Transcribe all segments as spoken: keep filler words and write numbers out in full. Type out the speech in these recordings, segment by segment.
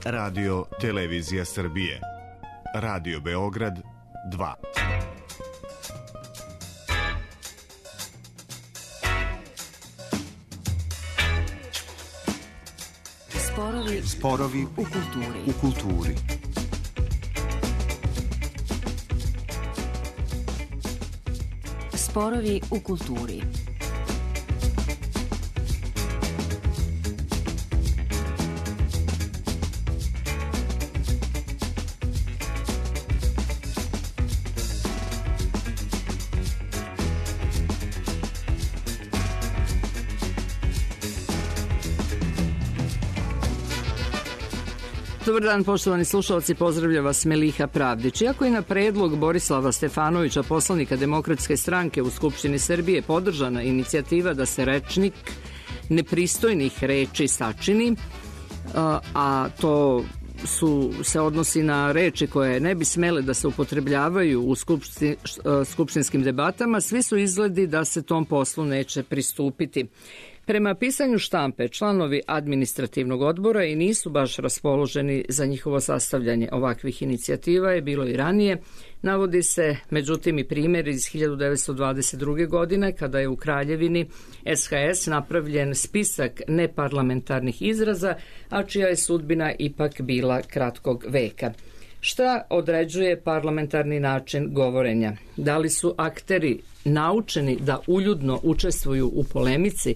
Radio Televizija Srbije. Radio Beograd dva. Sporovi, Sporovi u kulturi. U kulturi. Sporovi u kulturi. Dobar dan, poštovani slušalci, pozdravlja vas Meliha Pravdić. Iako je na predlog Borislava Stefanovića, poslanika Demokratske stranke u Skupštini Srbije, podržana inicijativa da se rečnik nepristojnih reči sačini, a to su, se odnosi na reči koje ne bi smele da se upotrebljavaju u skupštin, skupštinskim debatama, svi su izgledi da se tom poslu neće pristupiti. Prema pisanju štampe, članovi administrativnog odbora i nisu baš raspoloženi za njihovo sastavljanje. Ovakvih inicijativa je bilo i ranije. Navodi se, međutim, i primjer iz hiljadu devetsto dvadeset druge. godine, kada je u Kraljevini S H S napravljen spisak neparlamentarnih izraza, a čija je sudbina ipak bila kratkog veka. Šta određuje parlamentarni način govorenja? Da li su akteri naučeni da uljudno učestvuju u polemici?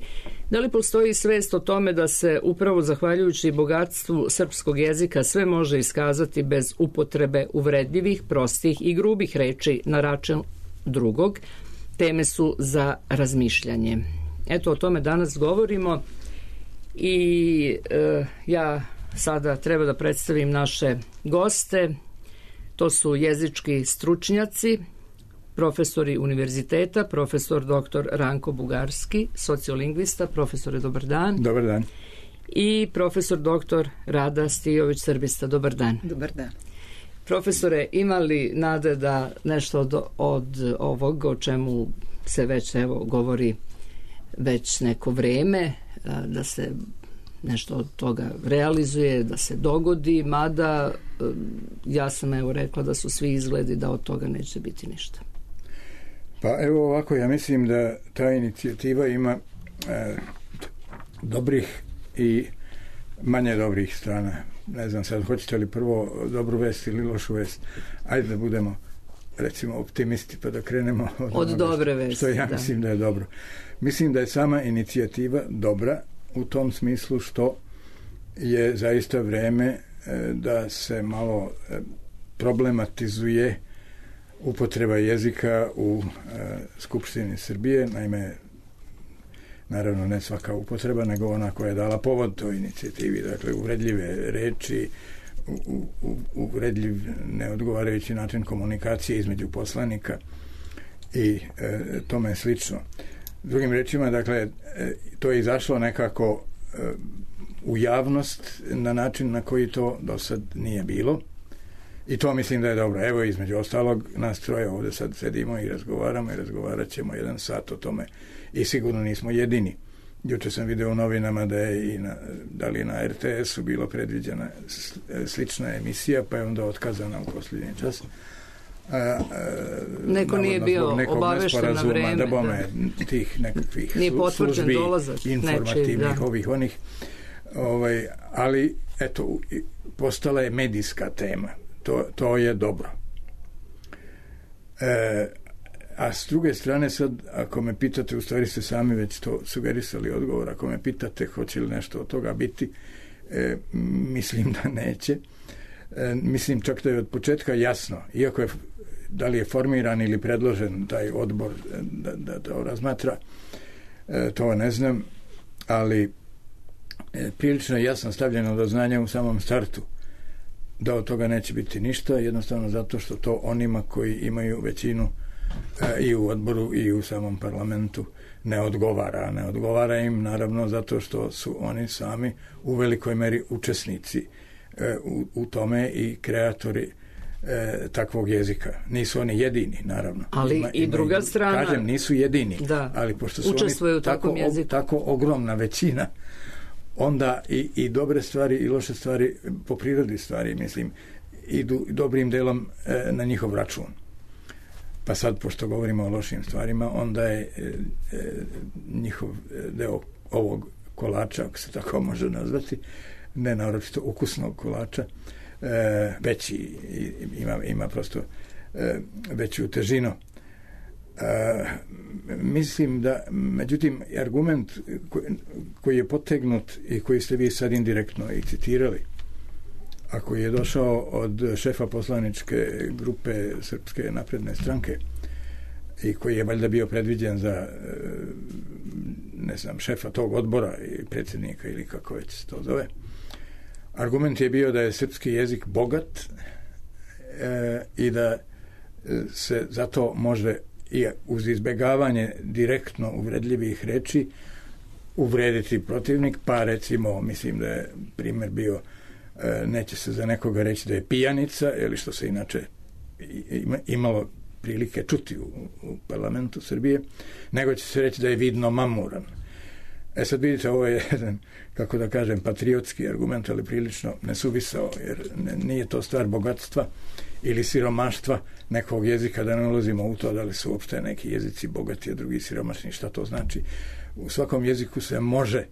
Da li postoji svest o tome da se upravo zahvaljujući bogatstvu srpskog jezika sve može iskazati bez upotrebe uvredljivih, prostih i grubih reči na račun drugog? Teme su za razmišljanje. Eto, o tome danas govorimo i e, ja sada treba da predstavim naše goste. To su jezički stručnjaci, profesori univerziteta, profesor doktor Ranko Bugarski, sociolingvista. Profesore, dobar dan. Dobar dan. I profesor doktor Rada Stijović, srbista. Dobar dan. Dobar dan. Profesore, ima li nade da nešto od, od ovog o čemu se već evo govori već neko vreme, da se nešto od toga realizuje, da se dogodi, mada ja sam evo rekla da su svi izgledi da od toga neće biti ništa. Pa evo ovako, ja mislim da ta inicijativa ima e, dobrih i manje dobrih strana. Ne znam sad, hoćete li prvo dobru vest ili lošu vest? Ajde da budemo, recimo, optimisti pa da krenemo od, od dobre vesti. Što ja da. mislim da je dobro. Mislim da je sama inicijativa dobra u tom smislu što je zaista vreme e, da se malo e, problematizuje upotreba jezika u e, Skupštini Srbije. Naime, naravno ne svaka upotreba, nego ona koja je dala povod toj inicijativi. Dakle, uvredljive reči, u, u, uvredljiv neodgovarajući način komunikacije između poslanika i e, tome slično. Drugim rečima, dakle, e, to je izašlo nekako e, u javnost na način na koji to do sad nije bilo. I to mislim da je dobro. Evo, između ostalog, nas troje ovdje sad sedimo i razgovaramo i razgovarat ćemo jedan sat o tome i sigurno nismo jedini. Juče sam video u novinama da je i na, da li na R T S-u bilo predviđena slična emisija, pa je onda otkazana u posljednji čas. A, a, Neko nije bio obavešten na vreme. Da bome tih nekakvih nije potvrđen službi, dolazak informativnih, nečiji, da. ovih, onih. Ovaj, ali, eto, postala je medijska tema. To, to je dobro. E, a s druge strane sad, ako me pitate, u stvari ste sami već to sugerisali odgovor, ako me pitate hoće li nešto od toga biti, e, mislim da neće. E, mislim čak da je od početka jasno, iako je da li je formiran ili predložen taj odbor da, da to razmatra, e, to ne znam, ali e, prilično jasno stavljeno do znanja u samom startu da od toga neće biti ništa, jednostavno zato što to onima koji imaju većinu e, i u odboru i u samom parlamentu ne odgovara. Ne odgovara im naravno zato što su oni sami u velikoj meri učesnici e, u, u tome i kreatori e, takvog jezika. Nisu oni jedini, naravno. Ali ima, i druga ima, strana... Kažem, nisu jedini, da, ali pošto su učestvuju oni u takvom tako, jeziku. tako ogromna većina, onda i, i dobre stvari i loše stvari po prirodi stvari, mislim, idu dobrim delom e, na njihov račun. Pa sad, pošto govorimo o lošim stvarima, onda je e, e, njihov deo ovog kolača, ako se tako može nazvati, ne naročito ukusnog kolača, e, veći, ima, ima prosto e, veću težinu. E, mislim da, međutim, argument koji, koji je potegnut i koji ste vi sad indirektno i citirali, a koji je došao od šefa poslaničke grupe Srpske napredne stranke i koji je valjda bio predviđen za, ne znam, šefa tog odbora i predsjednika ili kako već se to zove. Argument je bio da je srpski jezik bogat e, i da se zato može i uz izbjegavanje direktno uvredljivih reči uvrediti protivnik, pa recimo, mislim da je primjer bio, e, neće se za nekoga reći da je pijanica, ili što se inače ima, imalo prilike čuti u, u parlamentu Srbije, nego će se reći da je vidno mamuran. E sad vidite, ovo je jedan, kako da kažem, patriotski argument, ali prilično nesuvisao, jer ne, nije to stvar bogatstva ili siromaštva nekog jezika, da ne ulazimo u to da li su uopšte neki jezici bogati, a drugi siromašni, šta to znači. U svakom jeziku se može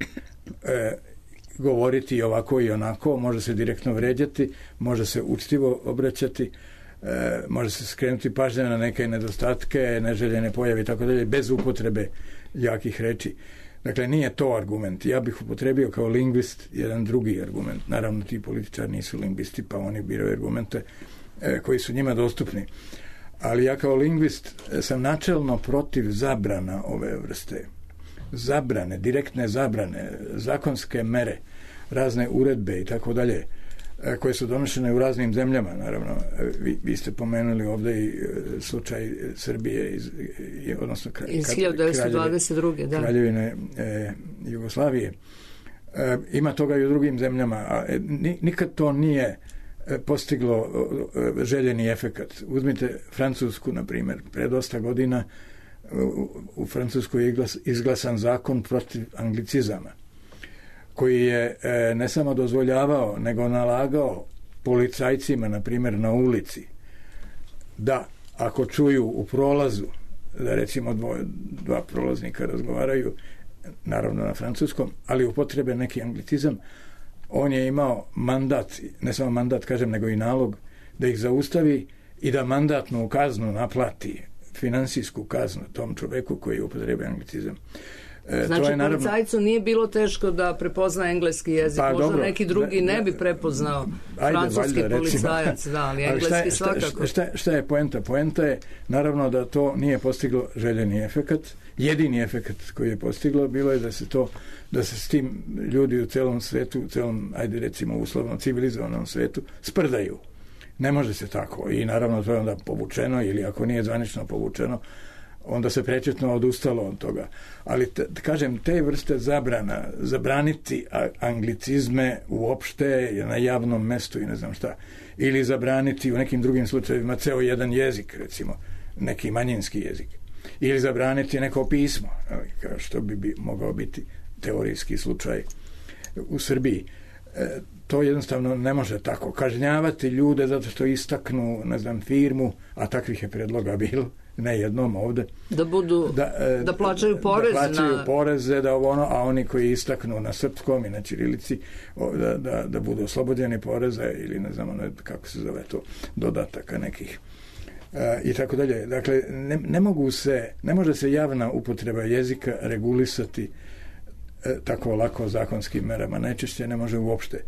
e, govoriti ovako i onako, može se direktno vređati, može se učtivo obraćati, e, može se skrenuti pažnja na neke nedostatke, neželjene pojave i tako dalje, bez upotrebe jakih reči. Dakle, nije to argument. Ja bih upotrebio kao lingvist jedan drugi argument. Naravno, ti političari nisu lingvisti, pa oni biraju argumente e, koji su njima dostupni. Ali ja kao lingvist sam načelno protiv zabrana ove vrste. Zabrane, direktne zabrane, zakonske mere, razne uredbe i tako dalje, koje su donošene u raznim zemljama, naravno. Vi, vi ste pomenuli ovdje i slučaj Srbije, iz, odnosno kra, iz hiljadu devetsto dvadeset druge. Da. Kraljevine e, Jugoslavije. E, ima toga i u drugim zemljama, a e, nikad to nije postiglo e, željeni efekat. Uzmite Francusku, na primjer, pre dosta godina u, u Francuskoj je izglas, izglasan zakon protiv anglicizama, koji je e, ne samo dozvoljavao, nego nalagao policajcima, na primjer, na ulici, da ako čuju u prolazu, da recimo dvo, dva prolaznika razgovaraju, naravno na francuskom, ali upotrebe neki anglicizam, on je imao mandat, ne samo mandat, kažem, nego i nalog, da ih zaustavi i da mandatnu kaznu naplati, finansijsku kaznu tom čoveku koji upotrebuje anglicizam. E, znači, je, naravno, policajcu nije bilo teško da prepozna engleski jezik, pa, možda dobro, neki drugi ne, ne bi prepoznao ajde, francuski valjda, policajac, da, ali engleski ali šta je, svakako. Šta, šta, šta je poenta? Poenta je, naravno, da to nije postiglo željeni efekat. Jedini efekat koji je postiglo bilo je da se to, da se s tim ljudi u celom svetu, u celom, ajde recimo, uslovno civilizovanom svetu, sprdaju. Ne može se tako. I naravno to je onda povučeno, ili ako nije zvanično povučeno, onda se prečetno odustalo od toga. Ali, te, kažem, te vrste zabrana, zabraniti anglicizme uopšte na javnom mestu i ne znam šta, ili zabraniti u nekim drugim slučajevima ceo jedan jezik, recimo, neki manjinski jezik, ili zabraniti neko pismo, kao što bi, bi mogao biti teorijski slučaj u Srbiji. E, to jednostavno ne može tako. Kažnjavati ljude zato što istaknu, ne znam, firmu, a takvih je predloga bilo, ne jednom ovde. Da budu, da, e, da plaćaju porez. Da plaćaju na... poreze, da ono, a oni koji istaknu na srpskom i na ćirilici, da, da, da budu oslobođeni poreza ili ne znam, ne, kako se zove to, dodataka nekih. E, I tako dalje. Dakle, ne, ne mogu se, ne može se javna upotreba jezika regulisati e, tako lako zakonskim merama. Najčešće ne može uopšte.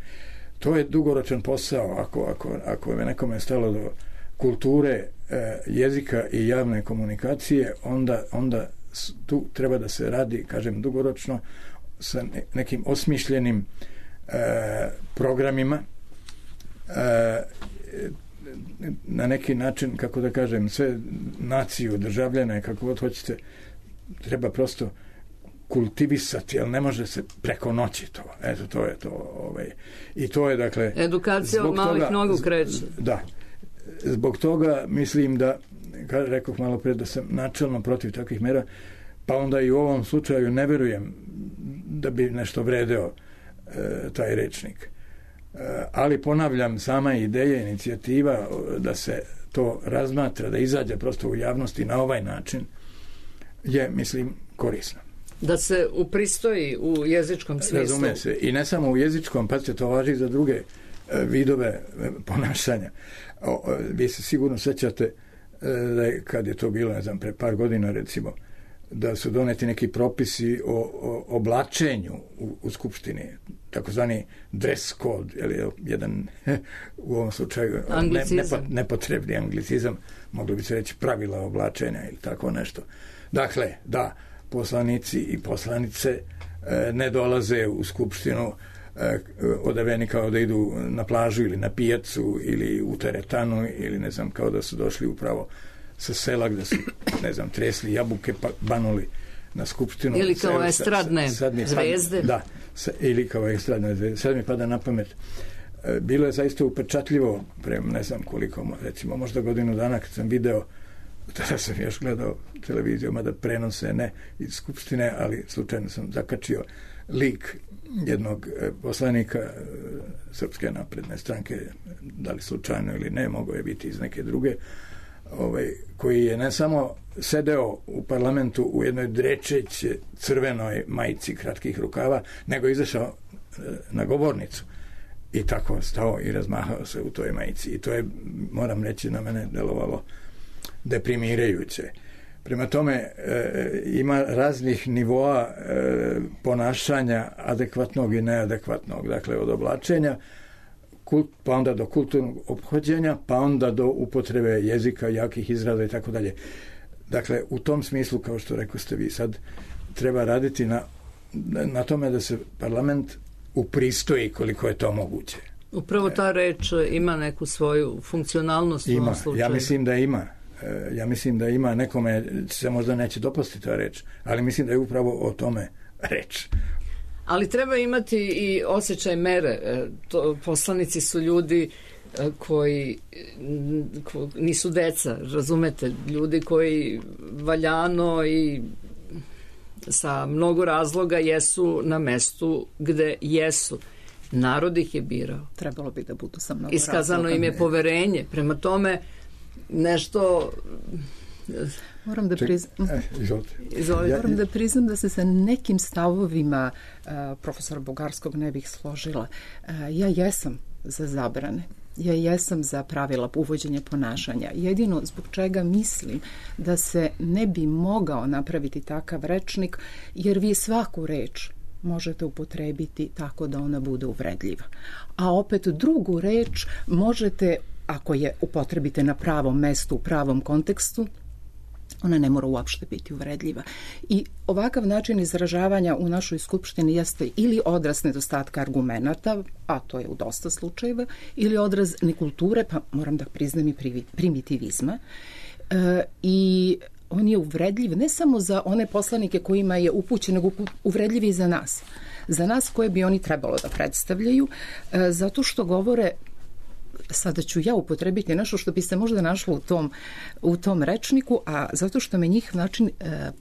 To je dugoročan posao. Ako, ako, ako je nekome stalo do kulture, e, jezika i javne komunikacije, onda, onda tu treba da se radi, kažem, dugoročno sa nekim osmišljenim e, programima, e, na neki način, kako da kažem, sve naciju, državljane, kako god hoćete, treba prosto kultivisati, ali ne može se preko noći to. Eto, to je to. Ovaj. I to je, dakle... Edukacija od malih nogu kreće. Da. Zbog toga mislim da, kada rekoh malo pre, da sam načelno protiv takvih mera, pa onda i u ovom slučaju ne verujem da bi nešto vredeo taj rečnik. Ali ponavljam, sama ideja, inicijativa da se to razmatra, da izađe prosto u javnosti na ovaj način je, mislim, korisna. Da se upristoji u jezičkom smislu. Razume se. I ne samo u jezičkom, pa se to važi za druge vidove ponašanja. O, vi se sigurno sećate da je, kad je to bilo, ne znam, pre par godina recimo, da su doneti neki propisi o, o oblačenju u, u Skupštini, takozvani dress code, ili jedan u ovom slučaju ne, nepo, nepotrebni anglicizam, mogli bi se reći pravila oblačenja ili tako nešto. Dakle, da, poslanici i poslanice e, ne dolaze u Skupštinu e, odaveni kao da idu na plažu ili na pijacu ili u teretanu ili ne znam, kao da su došli upravo sa sela gde su, ne znam, tresli jabuke pa banuli na Skupštinu. Ili kao Sve, estradne sad, sad zvezde. Da, sa, ili kao estradne zvezde. Sad mi pada na pamet. E, bilo je zaista upečatljivo pre ne znam koliko, recimo možda godinu dana kad sam video, tada sam još gledao televiziju, mada prenose ne iz Skupštine, ali slučajno sam zakačio lik jednog poslanika Srpske napredne stranke, da li slučajno ili ne, mogao je biti iz neke druge, ovaj, koji je ne samo sedeo u parlamentu u jednoj drečeće crvenoj majici kratkih rukava, nego izašao na govornicu i tako stao i razmahao se u toj majici. I to je, moram reći, na mene delovalo deprimirajuće. Prema tome, e, ima raznih nivoa e, ponašanja adekvatnog i neadekvatnog. Dakle, od oblačenja, kult, pa onda do kulturnog ophođenja, pa onda do upotrebe jezika, jakih izraza i tako dalje. Dakle, u tom smislu, kao što rekao ste vi sad, treba raditi na, na tome da se parlament upristoji koliko je to moguće. Upravo ta reč ima neku svoju funkcionalnost. Ima, u ovom slučaju. Ja mislim da ima. Ja mislim da ima, nekome se možda neće dopasti ta reč, ali mislim da je upravo o tome reč. Ali treba imati i osjećaj mere. To, poslanici su ljudi koji ko, nisu deca, razumete, ljudi koji valjano i sa mnogo razloga jesu na mestu gde jesu. Narod ih je birao. Trebalo bi da budu sa mnogo Iskazano razloga. im je poverenje. Prema tome, nešto... Moram da priznam, Izvolite. Moram da priznam da se sa nekim stavovima uh, profesora Bugarskog ne bih složila. Uh, ja jesam za zabrane. Ja jesam za pravila uvođenja ponašanja. Jedino zbog čega mislim da se ne bi mogao napraviti takav rečnik, jer vi svaku reč možete upotrebiti tako da ona bude uvredljiva. A opet drugu reč možete, ako je upotrebite na pravom mestu, u pravom kontekstu, ona ne mora uopšte biti uvredljiva. I ovakav način izražavanja u našoj skupštini jeste ili odraz nedostatka argumenata, a to je u dosta slučajeva, ili odraz nekulture, pa moram da priznam i primitivizma. E, I on je uvredljiv ne samo za one poslanike kojima je upućen, nego uvredljiv i za nas. Za nas koje bi oni trebalo da predstavljaju, e, zato što govore, sada ću ja upotrebiti nešto što bi se možda našlo u tom, u tom rečniku, a zato što me njih način e,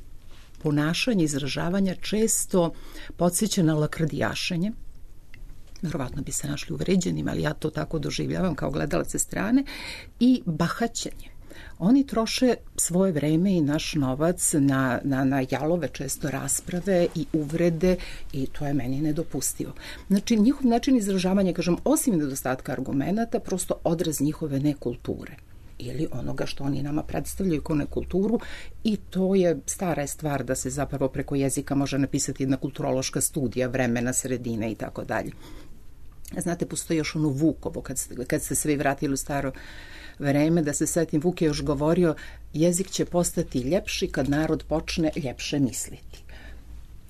ponašanja, izražavanja često podsjeća na lakrdijašenje. Verovatno bi se našli uvređenim, ali ja to tako doživljavam kao gledalac sa strane, i bahaćenje. Oni troše svoje vreme i naš novac na, na, na jalove često rasprave i uvrede i to je meni nedopustivo. Znači, njihov način izražavanja, kažem, osim nedostatka argumenata, prosto odraz njihove nekulture ili onoga što oni nama predstavljaju kao nekulturu, i to je stara stvar da se zapravo preko jezika može napisati jedna kulturološka studija vremena, sredine i tako dalje. Znate, postoji još ono Vukovo, kad ste, kad ste svi vratili u staro vreme, da se setim, Vuk je još govorio, jezik će postati ljepši kad narod počne ljepše misliti.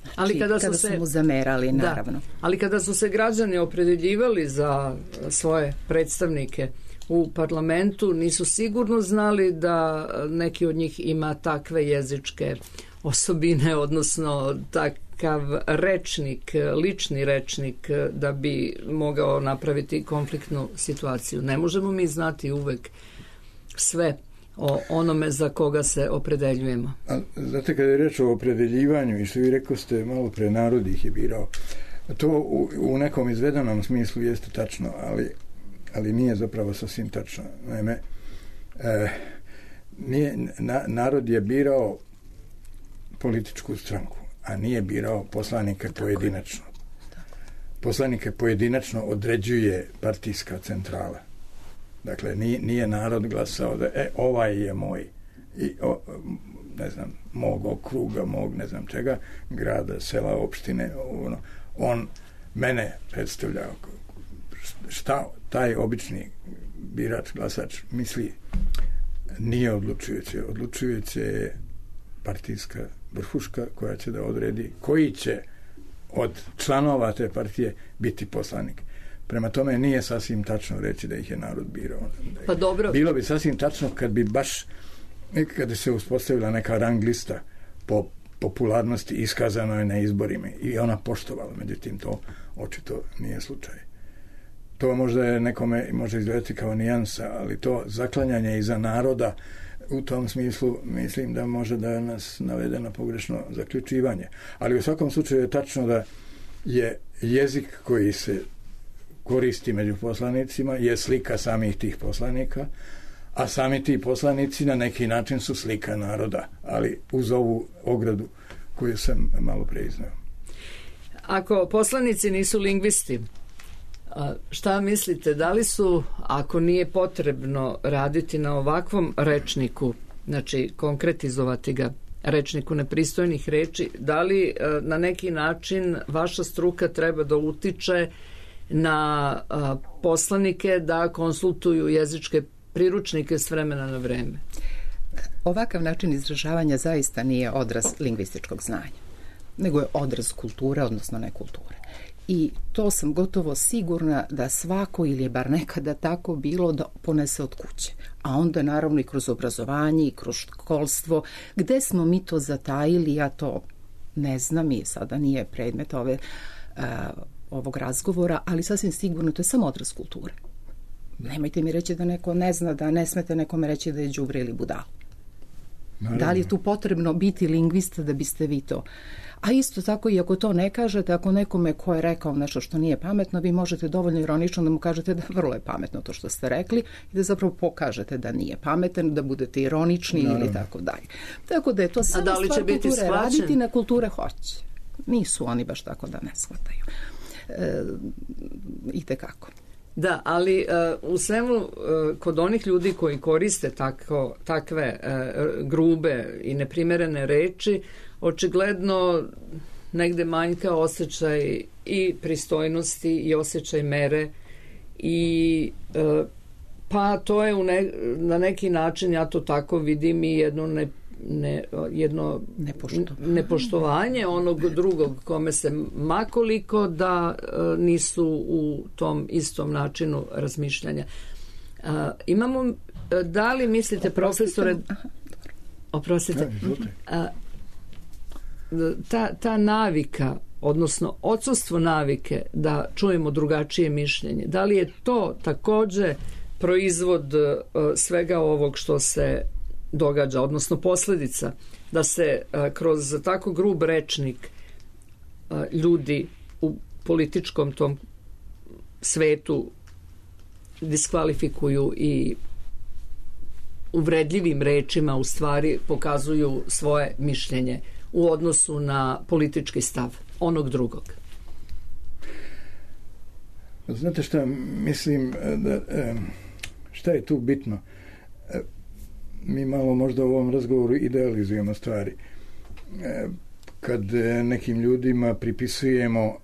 Znači, ali kada, kada su se, mu zamerali, naravno. Da, ali kada su se građani opredeljivali za svoje predstavnike u parlamentu, nisu sigurno znali da neki od njih ima takve jezičke osobine, odnosno takav rečnik, lični rečnik, da bi mogao napraviti konfliktnu situaciju. Ne možemo mi znati uvek sve o onome za koga se opredeljujemo. A, znate, kada je reč o opredeljivanju, i što vi rekao ste malo pre, narod ih je birao, To u, u nekom izvedenom smislu jeste tačno, ali, ali nije zapravo sasvim tačno. Naime, e, nije, na, narod je birao političku stranku, a nije birao poslanike pojedinačno. Poslanike pojedinačno određuje partijska centrala. Dakle, nije, nije narod glasao da e, ovaj je moj i o, ne znam, mog okruga, mog ne znam čega, grada, sela, opštine, ono, on mene predstavlja. Šta taj obični birač, glasač misli, nije odlučujuće. Odlučujuće je partijska vrhuška koja će da odredi koji će od članova te partije biti poslanik. Prema tome nije sasvim tačno reći da ih je narod birao. Pa dobro. Bilo bi sasvim tačno kad bi baš kada se uspostavila neka rang lista po popularnosti iskazano je na izborima i ona poštovala, međutim to očito nije slučaj. To možda je nekome može izgledati kao nijansa, ali to zaklanjanje iza naroda u tom smislu mislim da može da nas navede na pogrešno zaključivanje. Ali u svakom slučaju je tačno da je jezik koji se koristi među poslanicima je slika samih tih poslanika, a sami ti poslanici na neki način su slika naroda, ali uz ovu ogradu koju sam malo pre izneo. Ako poslanici nisu lingvisti, šta mislite, da li su, ako nije potrebno raditi na ovakvom rečniku, znači konkretizovati ga, rečniku nepristojnih reči, da li na neki način vaša struka treba da utiče na poslanike da konsultuju jezičke priručnike s vremena na vreme? Ovakav način izražavanja zaista nije odraz lingvističkog znanja, nego je odraz kulture, odnosno nekulture. I to sam gotovo sigurna da svako, ili je bar nekada tako bilo, da ponese od kuće. A onda naravno i kroz obrazovanje i kroz školstvo. Gde smo mi to zatajili, ja to ne znam i sada nije predmet ove, uh, ovog razgovora, ali sasvim sigurno to je samo odraz kulture. Nemojte mi reći da neko ne zna, da ne smete nekome reći da je đubre ili budala. Da li je tu potrebno biti lingvista da biste vi to? A isto tako i ako to ne kažete, ako nekome ko je rekao nešto što nije pametno, vi možete dovoljno ironično da mu kažete da vrlo je pametno to što ste rekli i da zapravo pokažete da nije pametan, da budete ironični no. ili tako dalje. Tako da je to samo da stvar kulture. Shvaćen? Raditi na kulture hoće. Nisu oni baš tako da ne shvataju. E, I tekako. Da, ali uh, u svemu uh, kod onih ljudi koji koriste tako, takve uh, grube i neprimerene reči, očigledno negde manjka osjećaj i pristojnosti i osjećaj mere i uh, pa to je u ne, na neki način, ja to tako vidim, i jedno ne Ne, jedno Nepoštovanje. nepoštovanje onog drugog kome se makoliko da uh, nisu u tom istom načinu razmišljanja. Uh, imamo, uh, da li mislite, profesore, oprostite, uh, ta, ta navika, odnosno odsustvo navike da čujemo drugačije mišljenje, da li je to takođe proizvod uh, svega ovog što se događa, odnosno posljedica da se a, kroz tako grub rečnik a, ljudi u političkom tom svetu diskvalifikuju i uvredljivim rečima u stvari pokazuju svoje mišljenje u odnosu na politički stav onog drugog? Znate šta, mislim da šta je tu bitno? Mi malo možda u ovom razgovoru idealizujemo stvari. Kad nekim ljudima pripisujemo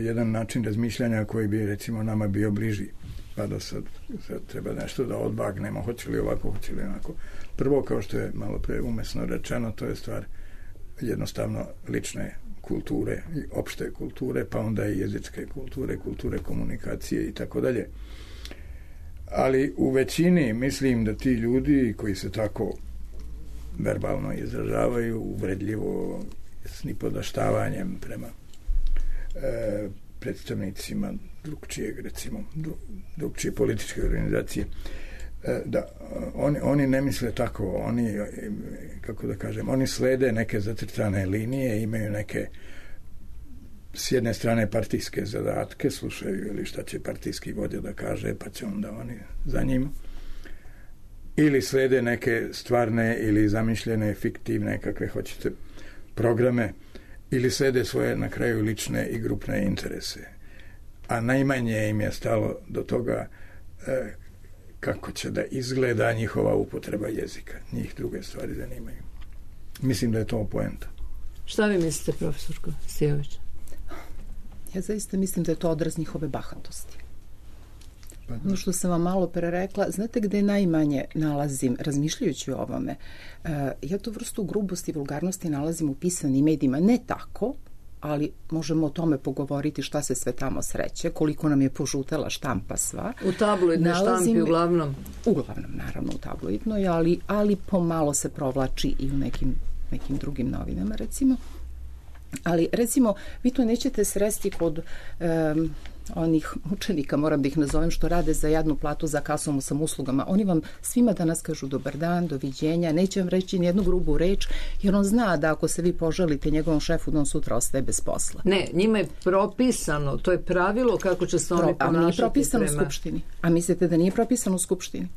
jedan način razmišljanja koji bi recimo nama bio bliži, pa da sad, sad treba nešto da odbagnemo, hoće li ovako, hoće li onako. Prvo, kao što je malo pre umesno rečeno, to je stvar jednostavno lične kulture i opšte kulture, pa onda i jezičke kulture, kulture komunikacije i tako dalje. Ali u većini mislim da ti ljudi koji se tako verbalno izražavaju uvredljivo, s nipodaštavanjem prema e, predstavnicima drugčijeg, recimo drugčije političke organizacije, e, da oni, oni ne misle tako, oni, kako da kažem, oni slede neke zacrtane linije, imaju neke s jedne strane partijske zadatke, slušaju ili šta će partijski vođa da kaže, pa će onda oni za njim, ili slede neke stvarne ili zamišljene, fiktivne, kakve hoćete, programe, ili slede svoje na kraju lične i grupne interese. A najmanje im je stalo do toga e, kako će da izgleda njihova upotreba jezika. Njih druge stvari zanimaju. Mislim da je to poenta. Šta vi mislite, profesorko Stijović? Ja zaista mislim da je to odraz njihove bahatosti. Pa ono što sam vam malo pre rekla, znate gde najmanje nalazim, razmišljajući o ovome, uh, ja tu vrstu grubosti i vulgarnosti nalazim u pisanim medijima, ne tako, ali možemo o tome pogovoriti šta se sve tamo sreće, koliko nam je požutela štampa sva. U tabloidnoj štampi uglavnom? Uglavnom, naravno, u tabloidnoj, ali, ali pomalo se provlači i u nekim, nekim drugim novinama, recimo. Ali, recimo, vi to nećete sresti kod um, onih učenika, moram da ih nazovem, što rade za jednu platu za kasom sam uslugama. Oni vam svima danas kažu dobar dan, doviđenja, neće vam reći nijednu grubu reč, jer on zna da ako se vi poželite njegovom šefu, da on sutra ostaje bez posla. Ne, njima je propisano, to je pravilo kako će se oni Pro, ponašati. A nije propisano prema... u Skupštini. A mislite da nije propisano u Skupštini?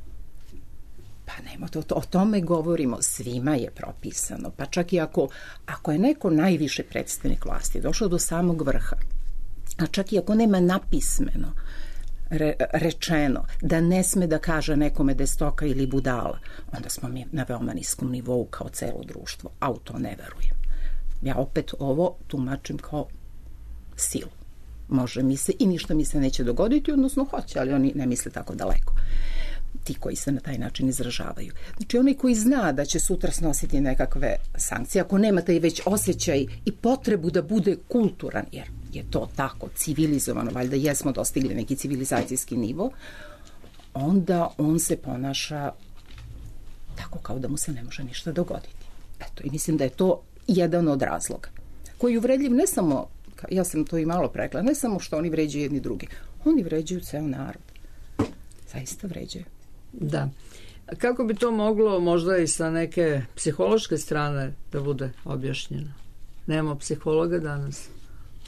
Pa nema, to, to, o tome govorimo, svima je propisano. Pa čak i ako, ako je neko najviše predstavnik vlasti došao do samog vrha, a čak i ako nema napismeno re, rečeno da ne sme da kaže nekome da je stoka ili budala, onda smo mi na veoma niskom nivou kao celo društvo, a u to ne verujem. Ja opet ovo tumačim kao silu. Može mi se i ništa mi se neće dogoditi, odnosno hoće, ali oni ne misle tako daleko. Ti koji se na taj način izražavaju. Znači, onaj koji zna da će sutra snositi nekakve sankcije, ako nema taj već osjećaj i potrebu da bude kulturan, jer je to tako civilizovano, valjda jesmo dostigli neki civilizacijski nivo, onda on se ponaša tako kao da mu se ne može ništa dogoditi. Eto, i mislim da je to jedan od razloga koji je uvredljiv ne samo, ja sam to i malo prekla, ne samo što oni vređaju jedni drugi, oni vređaju ceo narod. Zaista vređaju. Da. Kako bi to moglo možda i sa neke psihološke strane da bude objašnjeno? Nemamo psihologa danas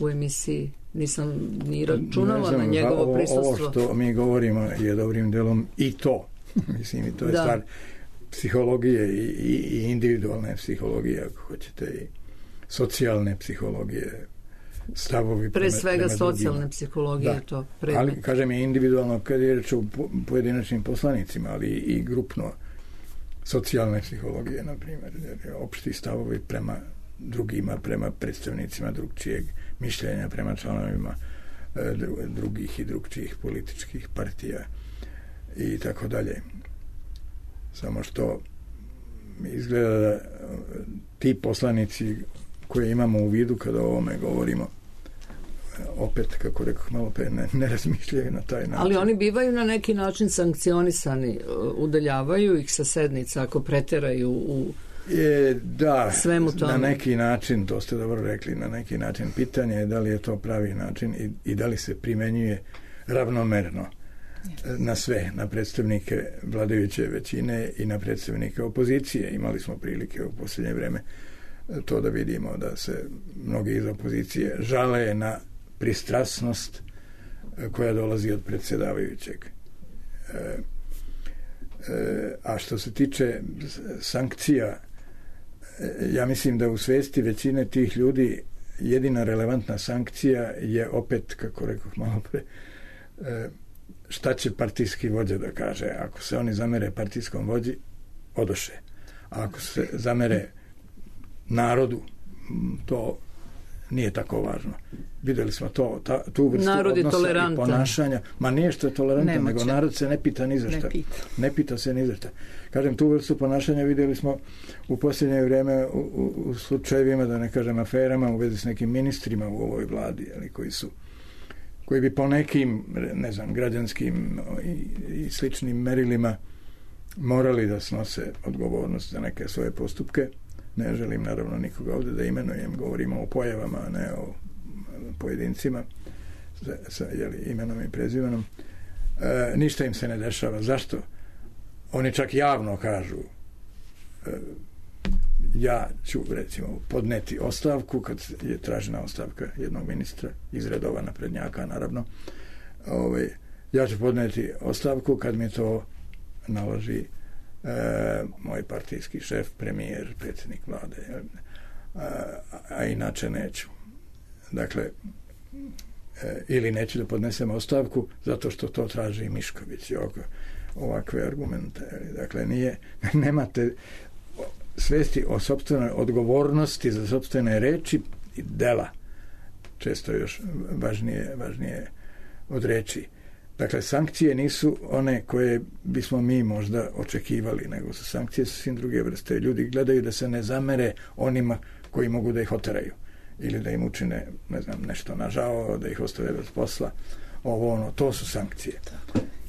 u emisiji. Nisam ni računala znam, na njegovo ovo, prisustvo. Ovo što mi govorimo je dobrim delom i to. Mislim, i to je da. Stvar psihologije i, i, i individualne psihologije, ako hoćete, i socijalne psihologije, stavovi pre svega prema socijalne drugima. Psihologije da. To predmet. Ali kažem je individualno kad je reč o pojedinačnim poslanicima, ali i grupno socijalne psihologije, na primjer, opšti stavovi prema drugima, prema predstavnicima drugčijeg mišljenja, prema članovima drugih i drugčijih političkih partija i tako dalje. Samo što izgleda da ti poslanici koje imamo u vidu kada o ovome govorimo, opet, kako rekoh malo pre, ne, ne razmišljaju na taj način. Ali oni bivaju na neki način sankcionisani, udaljavaju ih sa sednica ako preteraju u je, da, svemu tome. Na neki način, to ste dobro rekli, na neki način. Pitanje je da li je to pravi način i, i da li se primenjuje ravnomerno na sve, na predstavnike vladajuće većine i na predstavnike opozicije. Imali smo prilike u posljednje vreme to da vidimo, da se mnogi iz opozicije žale na pristrasnost koja dolazi od predsjedavajućeg. E, e, a što se tiče sankcija, ja mislim da u svesti većine tih ljudi jedina relevantna sankcija je opet, kako rekoh malo pre, e, šta će partijski vođa da kaže. Ako se oni zamere partijskom vođi, odoše. A ako se zamere narodu, to nije tako važno. Videli smo to, ta, tu vrstu odnosa i ponašanja. Ma nije što je tolerantan, Nemoće. nego narod se ne pita ni za šta. Ne pita. Ne pita se ni za šta. Kažem, tu vrstu ponašanja videli smo u posljednje vrijeme u, u, u slučajevima, da ne kažem aferama, u vezi s nekim ministrima u ovoj vladi, ali koji su koji bi po nekim, ne znam, građanskim i, i sličnim merilima morali da snose odgovornost za neke svoje postupke. Ne želim naravno nikoga ovdje da imenujem, govorimo o pojavama, a ne o pojedincima sa, sa jeli, imenom i prezimenom. E, ništa im se ne dešava. Zašto? Oni čak javno kažu, e, ja ću recimo podneti ostavku kad je tražena ostavka jednog ministra iz redova naprednjaka, naravno. Ovaj, ja ću podneti ostavku kad mi to naloži e, moj partijski šef, premijer, predsjednik vlade, a, a inače neću. Dakle, e, ili neću da podnesem ostavku zato što to traži Mišković i ovakve argumente. Dakle, nije, nemate svesti o sopstvenoj odgovornosti za sopstvene reči i dela. Često još važnije, važnije od reči. Dakle, sankcije nisu one koje bismo mi možda očekivali, nego su sankcije sasvim druge vrste. Ljudi gledaju da se ne zamere onima koji mogu da ih oteraju ili da im učine, ne znam, nešto nažao, da ih ostave bez posla. Ovo, ono, to su sankcije.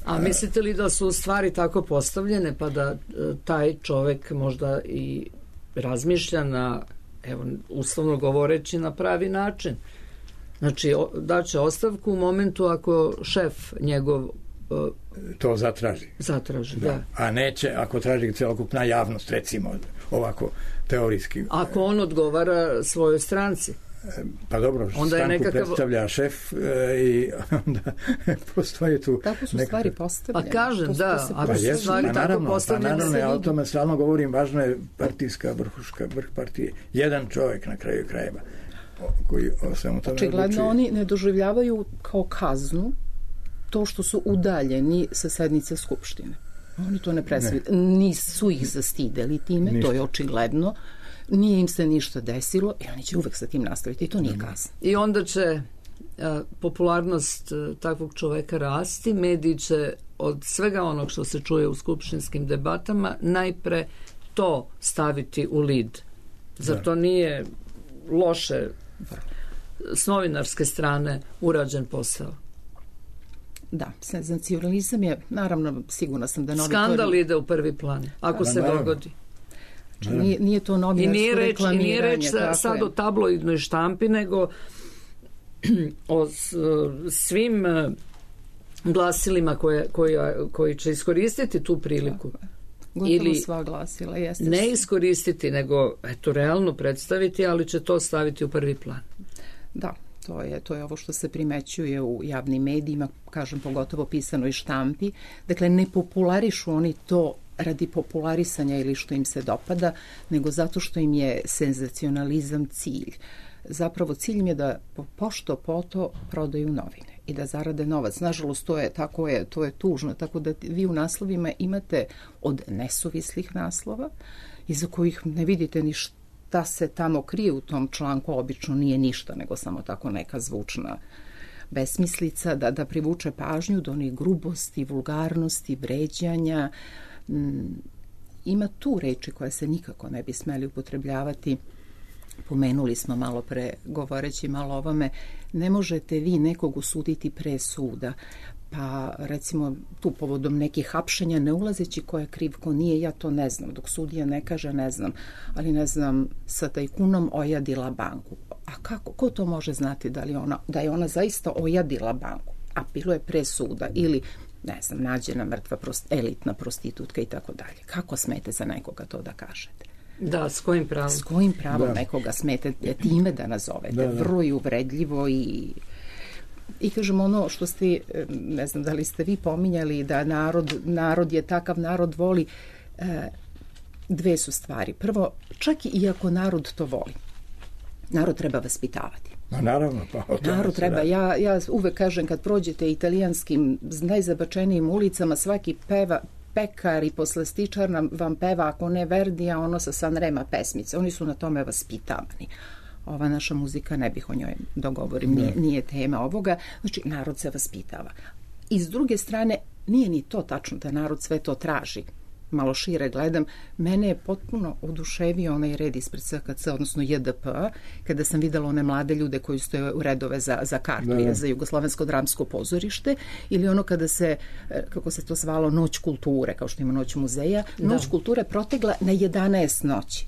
A mislite li da su stvari tako postavljene pa da taj čovek možda i razmišlja na, evo, uslovno govoreći, na pravi način? Znači, daće ostavku u momentu ako šef njegov to zatraži. Zatraži, da. da. A neće ako traži celokupna javnost, recimo, ovako teorijski. Ako on odgovara svojoj stranci. Pa dobro, onda stranku nekakav... predstavlja šef e, i onda postoje tu... Tako su neka... stvari postavljene. Pa kažem, da, ako su stvari pa tako naravno, postavljene... Pa naravno, ja o tome stalno govorim, važno je partijska vrhuška, vrh partije. Jedan čovjek na kraju krajeva koji o svemu tome odlučuje. Očigledno oni ne doživljavaju kao kaznu to što su udaljeni sa sednice Skupštine. Oni to ne predstavljaju. Ne. Nisu ih zastideli time, ništa. To je očigledno. Nije im se ništa desilo i oni će uvek sa tim nastaviti i to nije kazna. I onda će a, popularnost a, takvog čoveka rasti, mediji će od svega onog što se čuje u skupštinskim debatama najpre to staviti u lid. Zar da. To nije loše s novinarske strane urađen posao? Da, senzacionalizam je, naravno, sigurna sam da novinar... Skandal ide u prvi plan, ako da, se naravno. dogodi. Znači, nije, nije to novinarsko reklamiranje. I nije reč sa, sad je. o tabloidnoj štampi, nego o svim glasilima koje, koje, koji će iskoristiti tu priliku. Gotovo ili sva glasila. Jeste ne iskoristiti, nego eto, realno predstaviti, ali će to staviti u prvi plan. Da, to je, to je ovo što se primećuje u javnim medijima, kažem, pogotovo pisanoj štampi. Dakle, ne popularišu oni to radi popularisanja ili što im se dopada, nego zato što im je senzacionalizam cilj. Zapravo cilj im je da pošto poto prodaju novine i da zarade novac. Nažalost, to je, tako je, to je tužno, tako da vi u naslovima imate od nesuvislih naslova, iza kojih ne vidite ni šta se tamo krije u tom članku, obično nije ništa, nego samo tako neka zvučna besmislica, da, da privuče pažnju do onih grubosti, vulgarnosti, vređanja. Ima tu reči koje se nikako ne bi smeli upotrebljavati. Pomenuli smo malo pre, govoreći malo o ovome, ne možete vi nekog osuditi pre suda, pa recimo tu povodom nekih hapšenja, ne ulazeći ko je kriv, ko nije, ja to ne znam, dok sudija ne kaže ne znam, ali ne znam, sa tajkunom ojadila banku. A kako, ko to može znati da li ona, da je ona zaista ojadila banku, a bilo je pre suda, ili ne znam, nađena mrtva prost, elitna prostitutka i tako dalje. Kako smete za nekoga to da kažete? Da, s kojim pravom? S kojim pravom da. Nekoga smete time da nazovete? Da, da. Vrlo i uvredljivo i... I kažem ono što ste, ne znam da li ste vi pominjali, da narod, narod je takav, narod voli, dve su stvari. Prvo, čak i ako narod to voli, narod treba vaspitavati. No, naravno, pa o tome narod treba, ja, ja uvek kažem kad prođete italijanskim najzabačenijim ulicama, svaki peva, pekar i poslastičar nam, vam peva, ako ne Verdija, ono sa Sanrema pesmice. Oni su na tome vaspitavani. Ova naša muzika, ne bih o njoj dogovorim, nije, nije tema ovoga. Znači, narod se vaspitava. I s druge strane, nije ni to tačno da narod sve to traži. Malo šire gledam, mene je potpuno oduševio onaj red ispred S K C, odnosno J D P, kada sam videla one mlade ljude koji stoje u redove za, za kartu, da. za Jugoslovensko dramsko pozorište, ili ono kada se, kako se to zvalo, Noć kulture, kao što ima Noć muzeja, Noć da. kulture protegla na jedanaest noći.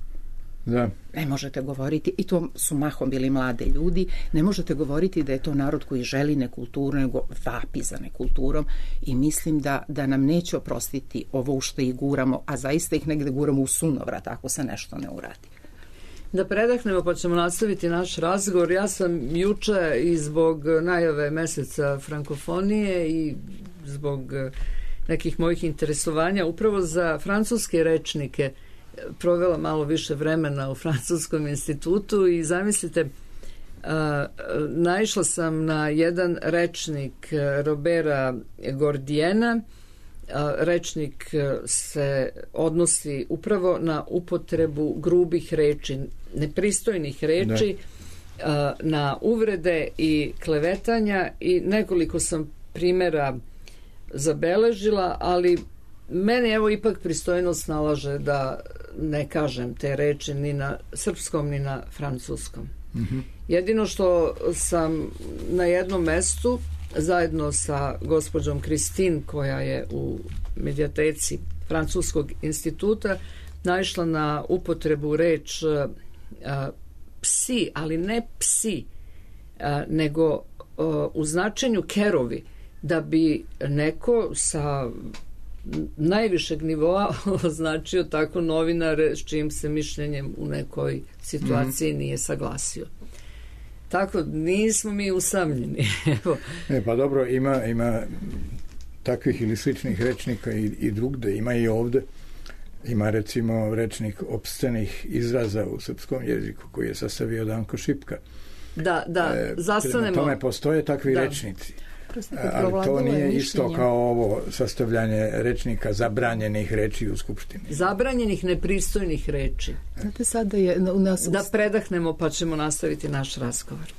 Da. Ne možete govoriti, i to su mahom bili mlade ljudi, ne možete govoriti da je to narod koji želi nekulturu, nego vapi za nekulturom, i mislim da, da nam neće oprostiti ovo u što ih guramo, a zaista ih negde guramo u sunovrat ako se nešto ne uradi. Da predahnemo pa ćemo nastaviti naš razgovor. Ja sam juče i zbog najave meseca frankofonije i zbog nekih mojih interesovanja upravo za francuske rečnike provela malo više vremena u Francuskom institutu i zamislite, Uh, naišla sam na jedan rečnik Robera Gordijena. Uh, rečnik se odnosi upravo na upotrebu grubih reči, nepristojnih reči, uh, na uvrede i klevetanja i nekoliko sam primjera zabeležila, ali meni evo ipak pristojnost nalaže da ne kažem te reči ni na srpskom ni na francuskom. Mm-hmm. Jedino što sam na jednom mestu zajedno sa gospođom Kristin, koja je u medijateci Francuskog instituta, naišla na upotrebu reč a, psi, ali ne psi, a, nego a, u značenju kerovi, da bi neko sa najvišeg nivoa označio tako novinare s čijim se mišljenjem u nekoj situaciji mm-hmm. nije saglasio. Tako, nismo mi usamljeni. Evo. E, pa dobro, ima, ima takvih ili sličnih rečnika i, i drugde, ima i ovde. Ima recimo rečnik opscenih izraza u srpskom jeziku koji je sastavio Danko Šipka. Da, da, e, zastanemo. Prema tome postoje takvi da. rečnici. Ali to nije isto kao ovo sastavljanje rečnika zabranjenih reči u Skupštini. Zabranjenih nepristojnih reči. Znate, sada je u nas... Da predahnemo pa ćemo nastaviti naš razgovor.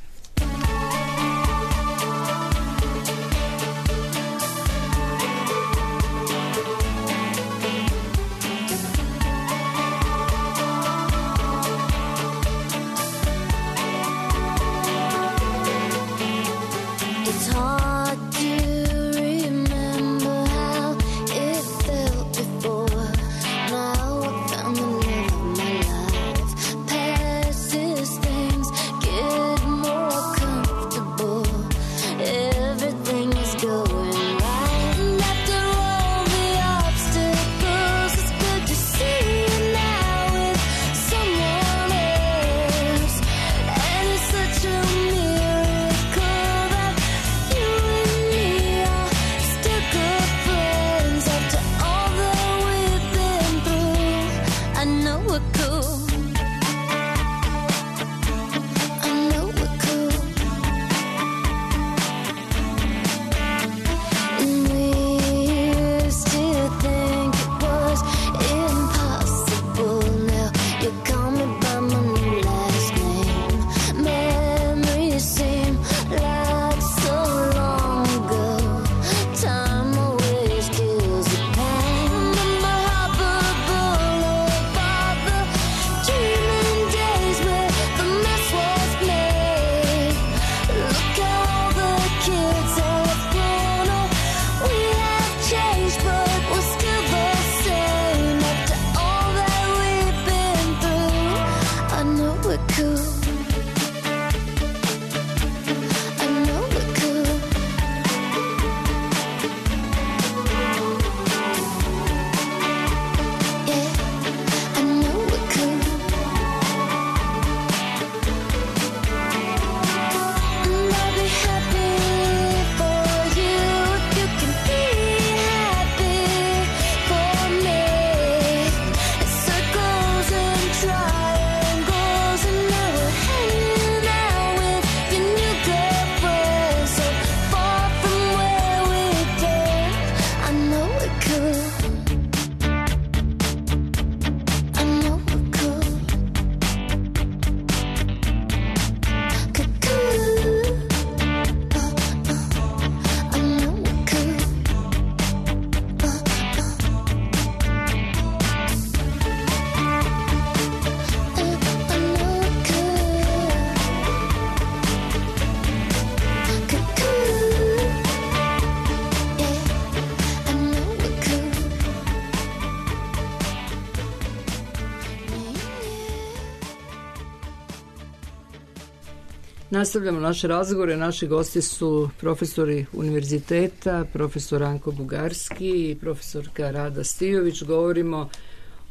Nastavljamo naše razgovore. Naši gosti su profesori univerziteta, profesor Ranko Bugarski i profesorka Rada Stijović. Govorimo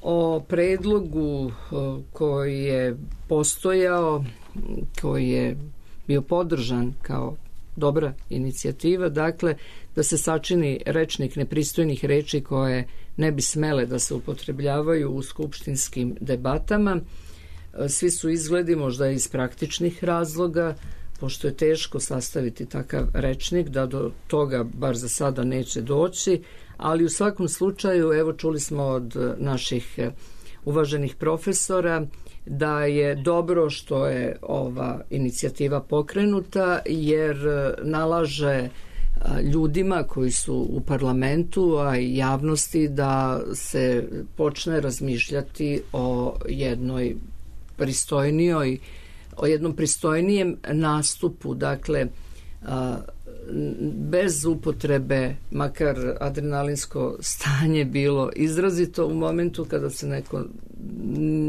o predlogu koji je postojao, koji je bio podržan kao dobra inicijativa, dakle da se sačini rečnik nepristojnih reči koje ne bi smele da se upotrebljavaju u skupštinskim debatama. Svi su izgledi možda iz praktičnih razloga, pošto je teško sastaviti takav rečnik, da do toga bar za sada neće doći, ali u svakom slučaju, evo čuli smo od naših uvaženih profesora da je dobro što je ova inicijativa pokrenuta, jer nalaže ljudima koji su u parlamentu, a i javnosti, da se počne razmišljati o jednoj pristojnijoj, o jednom pristojnijem nastupu, dakle bez upotrebe, makar adrenalinsko stanje bilo izrazito u momentu kada se neko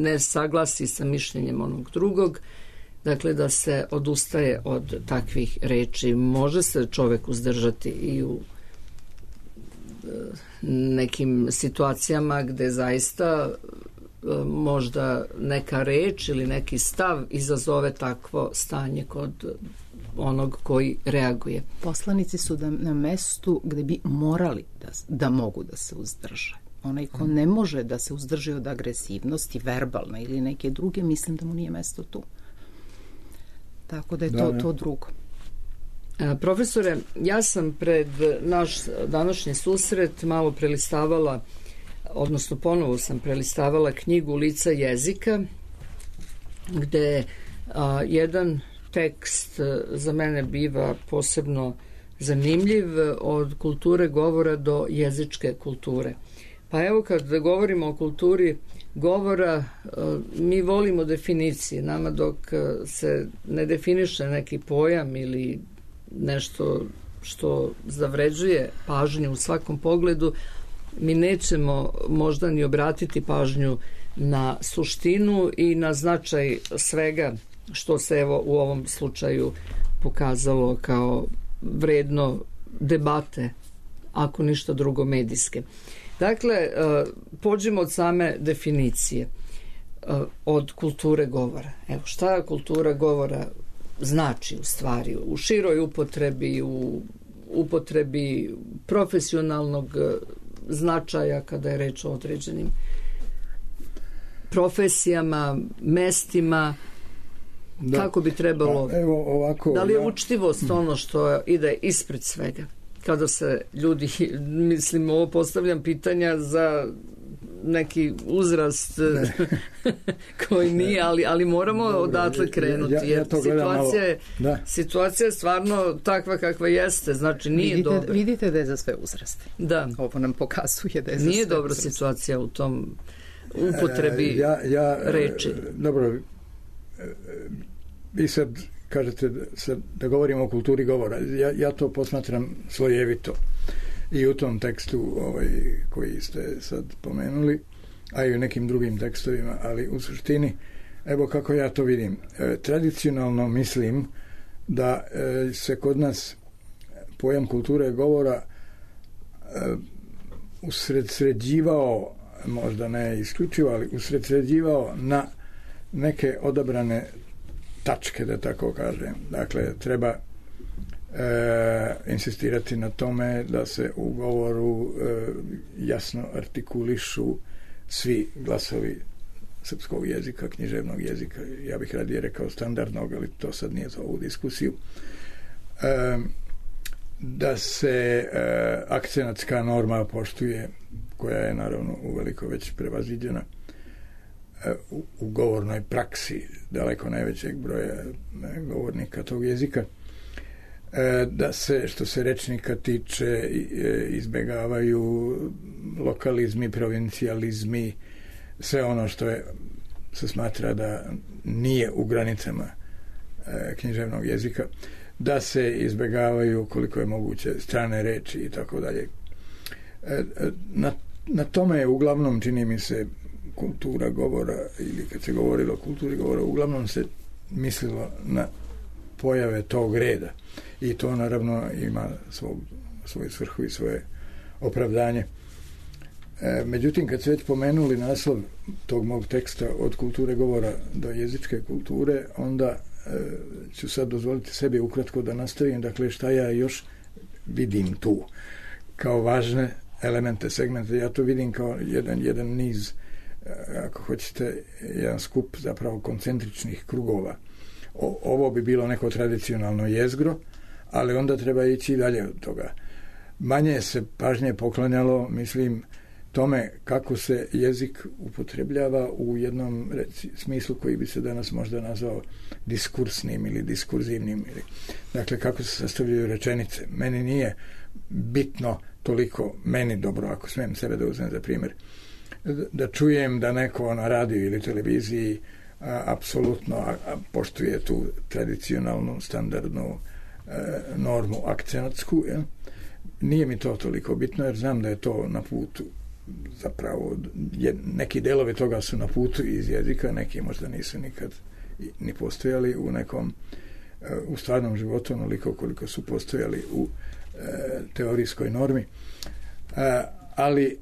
ne saglasi sa mišljenjem onog drugog, dakle da se odustaje od takvih reči. Može se čovek uzdržati i u nekim situacijama gde zaista možda neka reč ili neki stav izazove takvo stanje kod onog koji reaguje. Poslanici su da, na mestu gde bi morali da, da mogu da se uzdrže. Onaj ko ne može da se uzdrži od agresivnosti, verbalne ili neke druge, mislim da mu nije mesto tu. Tako da je da, to, to drugo. A, profesore, ja sam pred naš današnji susret malo prelistavala, odnosno ponovo sam prelistavala knjigu Lica jezika, gde a, jedan tekst za mene biva posebno zanimljiv, od kulture govora do jezičke kulture. Pa evo, kad govorimo o kulturi govora, mi volimo definicije. Nama dok se ne definiše neki pojam ili nešto što zavređuje pažnju u svakom pogledu, mi nećemo možda ni obratiti pažnju na suštinu i na značaj svega što se evo u ovom slučaju pokazalo kao vredno debate, ako ništa drugo medijske. Dakle, pođemo od same definicije, od kulture govora. Evo, šta kultura govora znači u stvari, u široj upotrebi, u upotrebi profesionalnog značaja kada je reč o određenim profesijama, mestima, da. Kako bi trebalo, pa, evo, ovako, da li je ja... učtivost ono što ide ispred svega? Kada se ljudi, mislim, ovo postavljam pitanja za neki uzrast koji nije, ali, ali moramo Dobre, odatle krenuti, ja, ja, ja jer situacija je, situacija je stvarno takva kakva jeste, znači nije vidite, dobro. Vidite da je za sve uzraste. Da. Ovo nam pokazuje da je za nije sve dobra uzraste. Situacija u tom upotrebi e, ja, ja, reči. Dobro, vi sad kažete da, sad, da govorimo o kulturi govora. Ja, ja to posmatram slojevito. I u tom tekstu ovaj, koji ste sad pomenuli, a i u nekim drugim tekstovima, ali u suštini, evo kako ja to vidim. E, tradicionalno mislim da e, se kod nas pojam kulture govora e, usredsređivao, možda ne isključivo, ali usredsređivao na neke odabrane tačke, da tako kažem. Dakle, treba e, insistirati na tome da se u govoru e, jasno artikulišu svi glasovi srpskog jezika, književnog jezika, ja bih radije rekao standardnog, ali to sad nije za ovu diskusiju. E, da se e, akcenatska norma poštuje, koja je naravno uveliko već prevaziđena u, u govornoj praksi daleko najvećeg broja ne, govornika tog jezika, e, da se, što se rečnika tiče, e, izbegavaju lokalizmi, provincijalizmi, sve ono što je, se smatra da nije u granicama e, književnog jezika, da se izbegavaju koliko je moguće strane reči i tako dalje. Na, na tome je uglavnom, čini mi se, kultura govora, ili kad se govorilo o kulturi govora, uglavnom se mislilo na pojave tog reda. I to naravno ima svog, svoju svrhu i svoje opravdanje. E, međutim, kad ste već pomenuli naslov tog mog teksta od kulture govora do jezičke kulture, onda e, ću sad dozvoliti sebi ukratko da nastavim, dakle, šta ja još vidim tu kao važne elemente, segmente. Ja to vidim kao jedan, jedan niz, ako hoćete, jedan skup zapravo koncentričnih krugova. O, ovo bi bilo neko tradicionalno jezgro, ali onda treba ići dalje od toga. Manje se pažnje poklanjalo, mislim, tome kako se jezik upotrebljava u jednom reci, smislu koji bi se danas možda nazvao diskursnim ili diskurzivnim. Ili, dakle, kako se sastavljaju rečenice. Meni nije bitno toliko, meni dobro, ako smijem sebe da uzmem za primjer, da čujem da neko na radiju ili televiziji a, apsolutno a, a, poštuje tu tradicionalnu, standardnu a, normu akcentsku. Ja? Nije mi to toliko bitno, jer znam da je to na putu. Zapravo, je, neki delovi toga su na putu iz jezika, neki možda nisu nikad ni postojali u nekom u stvarnom životu onoliko koliko su postojali u e, teorijskoj normi. E, ali e,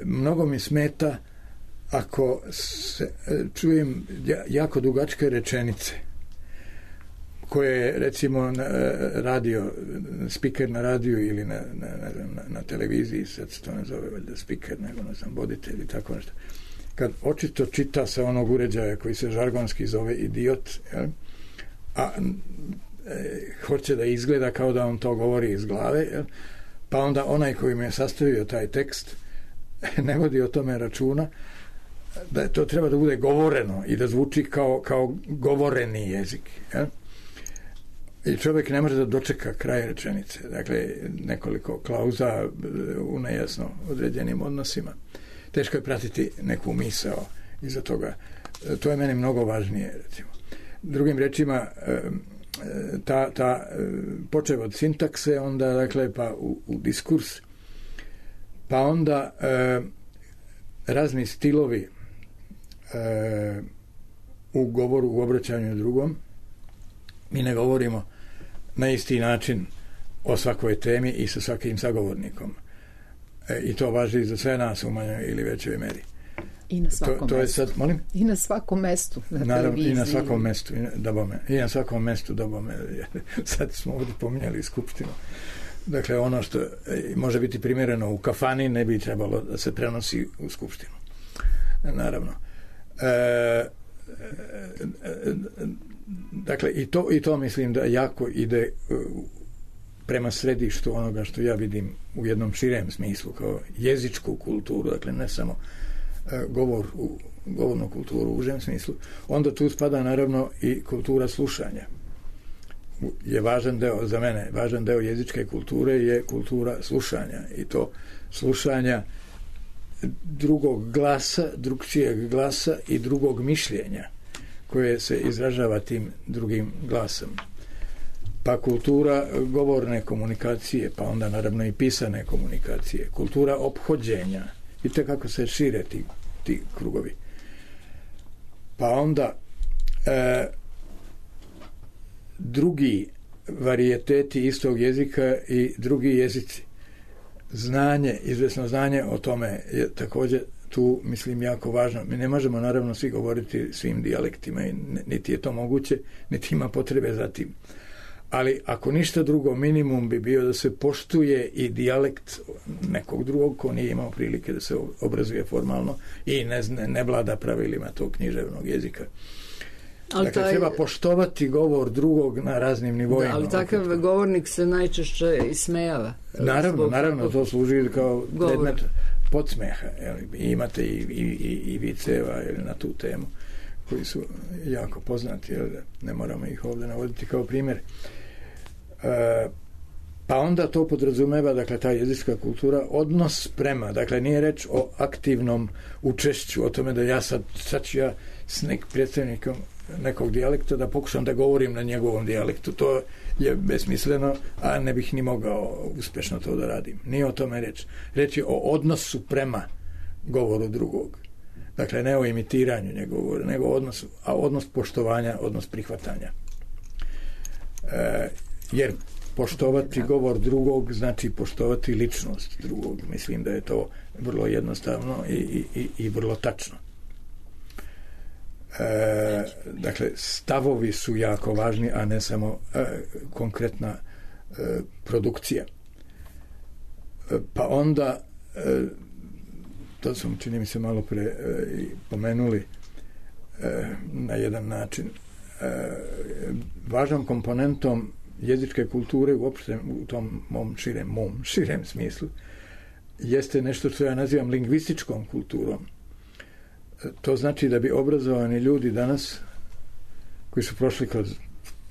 mnogo mi smeta ako se, e, čujem jako dugačke rečenice koje recimo na radio, spiker na radiju ili na, na, na, na televiziji, sad se to ne zove valjda spiker, nego ne znam, voditelj ili tako nešto. Kad očito čita sa onog uređaja koji se žargonski zove idiot, jel? A e, hoće da izgleda kao da on to govori iz glave, jel? Pa onda onaj koji mi je sastavio taj tekst ne vodi o tome računa, da to treba da bude govoreno i da zvuči kao, kao govoreni jezik, jel? I čovjek ne može da dočeka kraj rečenice. Dakle, nekoliko klauza u nejasno određenim odnosima. Teško je pratiti neku misao iza toga. To je meni mnogo važnije, recimo. Drugim rečima, ta, ta počev od sintakse, onda, dakle, pa u, u diskurs, pa onda e, razni stilovi e, u govoru, u obraćanju drugom. Mi ne govorimo na isti način o svakoj temi i sa svakim sagovornikom. E, I to važi za sve nas u manjoj ili većoj meri. I na svakom to, to je sad, molim? I na svakom mestu. Na Naravno, televiziji. I na svakom mestu. I na, da bome, I na svakom mestu, da bome. Sad smo ovdje pominjali skupštinu. Dakle, ono što može biti primjereno u kafani ne bi trebalo da se prenosi u skupštinu. Naravno. E, e, e, Dakle, i to, i to mislim da jako ide prema središtu onoga što ja vidim u jednom širem smislu, kao jezičku kulturu, dakle ne samo govor u, govornu kulturu u užem smislu. Onda tu spada naravno i kultura slušanja. Je važan deo, za mene, važan deo jezičke kulture je kultura slušanja. I to slušanja drugog glasa, drugčijeg glasa i drugog mišljenja koje se izražava tim drugim glasom. Pa kultura govorne komunikacije, pa onda naravno i pisane komunikacije, kultura ophođenja. Vidite kako se šire ti, ti krugovi. Pa onda e, drugi varijeteti istog jezika i drugi jezici. Znanje, izvesno znanje o tome je također tu, mislim, jako važno. Mi ne možemo, naravno, svi govoriti svim dijalektima i niti je to moguće, niti ima potrebe za tim. Ali ako ništa drugo, minimum bi bio da se poštuje i dijalekt nekog drugog ko nije imao prilike da se obrazuje formalno i ne, ne, ne vlada pravilima tog književnog jezika. Ali dakle, taj... treba poštovati govor drugog na raznim nivoima. Da, ali takav opet govornik se najčešće ismejava. Naravno, naravno, to služi kao predmet podsmeha. Imate i, i, i, i viceva na tu temu koji su jako poznati, jel, ne moramo ih ovdje navoditi kao primjer. E, pa onda to podrazumeva, dakle, ta jezička kultura, odnos prema, dakle, nije reč o aktivnom učešću, o tome da ja sad, sad ću ja s nek predstavnikom nekog dijalekta da pokušam da govorim na njegovom dijalektu. To je besmisleno, a ne bih ni mogao uspješno to da radim. Nije o tome reč. Reč je o odnosu prema govoru drugog. Dakle, ne o imitiranju njegovog, nego odnos, a odnos poštovanja, odnos prihvatanja. E, jer poštovati govor drugog znači poštovati ličnost drugog. Mislim da je to vrlo jednostavno i, i, i vrlo tačno. E, dakle, stavovi su jako važni, a ne samo e, konkretna e, produkcija. E, pa onda e, to smo, čini mi se, malo pre e, pomenuli e, na jedan način. E, važnom komponentom jezičke kulture uopšte u tom mom širem, mom širem smislu jeste nešto što ja nazivam lingvističkom kulturom. To znači da bi obrazovani ljudi danas, koji su prošli kroz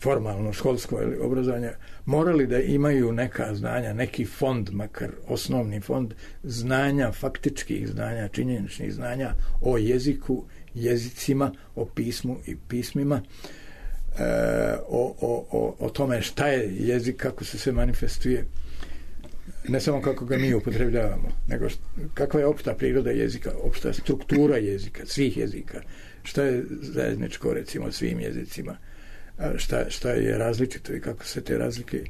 formalno školsko obrazovanje, morali da imaju neka znanja, neki fond, makar osnovni fond znanja, faktičkih znanja, činjeničnih znanja o jeziku, jezicima, o pismu i pismima, e, o, o, o, o tome šta je jezik, kako se se manifestuje, ne samo kako ga mi upotrebljavamo, nego šta, kakva je opšta priroda jezika, opšta struktura jezika, svih jezika, šta je zajedničko, recimo, svim jezicima, šta, šta je različito i kako se te razlike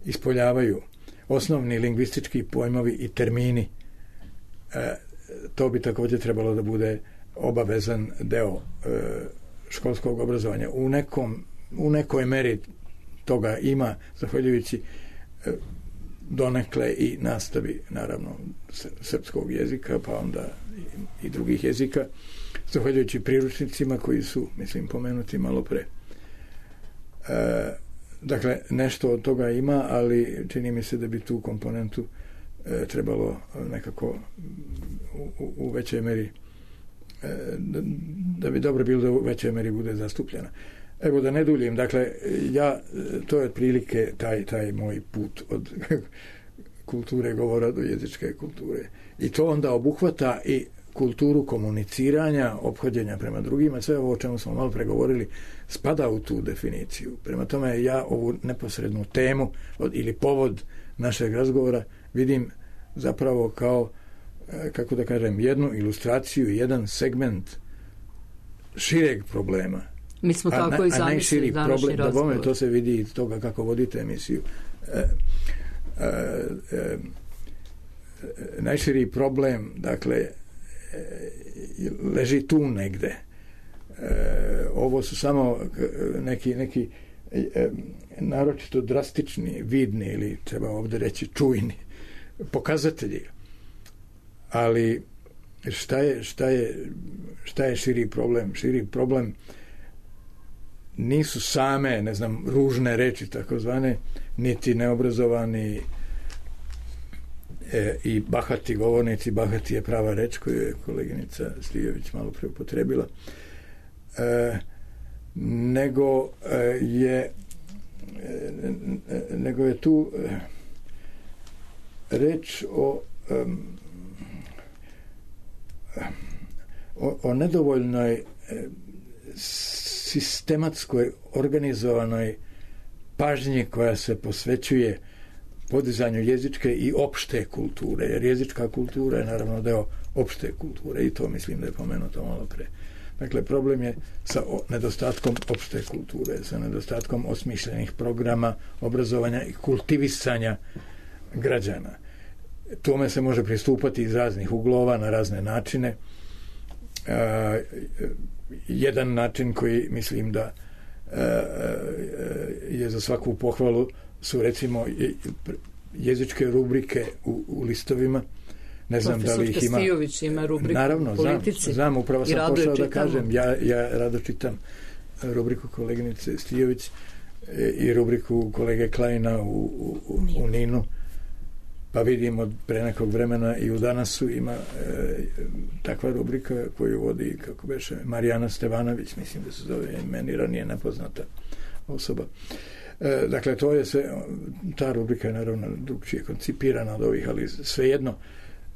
ispoljavaju, osnovni lingvistički pojmovi i termini. E, to bi također trebalo da bude obavezan deo e, školskog obrazovanja. U nekom, u nekoj meri toga ima, zahvaljujući e, donekle i nastavi, naravno, srpskog jezika, pa onda i, i drugih jezika, zahvaljujući priručnicima koji su, mislim, pomenuti malo pre. E, dakle, nešto od toga ima, ali čini mi se da bi tu komponentu e, trebalo nekako u, u, u većoj meri e, da, da bi dobro bilo da u većoj meri bude zastupljena. Evo, da ne duljim, dakle, ja, to je otprilike taj, taj moj put od kulture govora do jezičke kulture. I to onda obuhvata i kulturu komuniciranja, ophođenja prema drugima, sve ovo o čemu smo malo pregovorili spada u tu definiciju. Prema tome, ja ovu neposrednu temu od, ili povod našeg razgovora vidim zapravo kao, kako da kažem, jednu ilustraciju, jedan segment šireg problema. Mi smo tako a, i zamislili današnji razgovor. To se vidi iz toga kako vodite emisiju. E, e, e, najširi problem, dakle, e, leži tu negde. E, ovo su samo neki, neki e, naročito drastični, vidni ili treba ovdje reći čujni pokazatelji. Ali šta je, šta je, šta je širi problem? Širi problem nisu same, ne znam, ružne reči takozvane, niti neobrazovani e, i bahati govornici. Bahati je prava reč koju je koleginica Stijović malo pre upotrebila, e, nego e, je e, nego je tu e, reč o e, o, o nedovoljnoj e, sistematskoj, organizovanoj pažnji koja se posvećuje podizanju jezičke i opšte kulture, jer jezička kultura je naravno deo opšte kulture i to mislim da je pomenuto malo pre. Dakle, problem je sa nedostatkom opšte kulture, sa nedostatkom osmišljenih programa obrazovanja i kultivisanja građana. Tome se može pristupati iz raznih uglova, na razne načine. E, jedan način koji mislim da e, je za svaku pohvalu su, recimo, jezičke rubrike u, u listovima. Ne znam da li ih ima. Stijović ima rubriku naravno, politici. Znam, znam, upravo sam pošao da kažem. Ja, ja rado čitam rubriku koleginice Stijović i rubriku kolege Klajna u, u, u, u Ninu. Pa vidimo pre nekog vremena i u Danasu ima e, takva rubrika koju vodi, kako beše, Marijana Stevanović, mislim da se zove, meni ranije nepoznata osoba. E, dakle, to je sve, ta rubrika je naravno drugčije koncipirana od ovih, ali svejedno,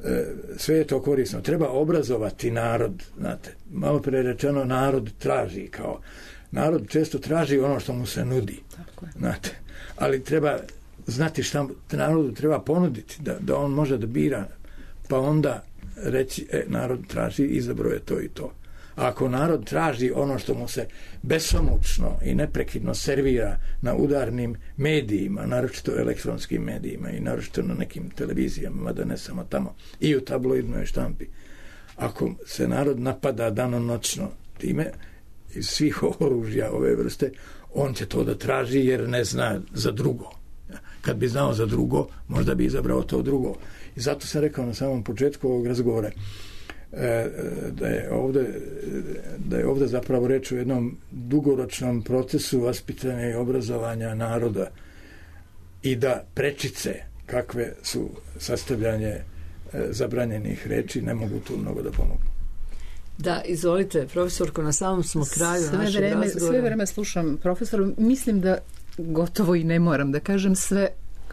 e, sve je to korisno. Treba obrazovati narod, znate, malo pre rečeno, narod traži, kao, narod često traži ono što mu se nudi, tako je. Znate, ali treba znati šta narodu treba ponuditi, da, da on može da bira, pa onda reći, e, narod traži, izabro je to i to. A ako narod traži ono što mu se besomučno i neprekidno servira na udarnim medijima, naročito elektronskim medijima i naročito na nekim televizijama, mada ne samo tamo, i u tabloidnoj štampi, ako se narod napada danonoćno time iz svih oružja ove vrste, on će to da traži jer ne zna za drugo. Kad bi znao za drugo, možda bi izabrao to drugo. I zato sam rekao na samom početku ovog razgovora da je ovde, da je ovde zapravo reč o jednom dugoročnom procesu vaspitanja i obrazovanja naroda i da prečice kakve su sastavljanje zabranjenih reči ne mogu tu mnogo da pomogu. Da, izvolite, profesorko, na samom smo kraju sve našeg vreme, razgovora. Sve vreme slušam profesora, mislim da gotovo i ne moram da kažem sve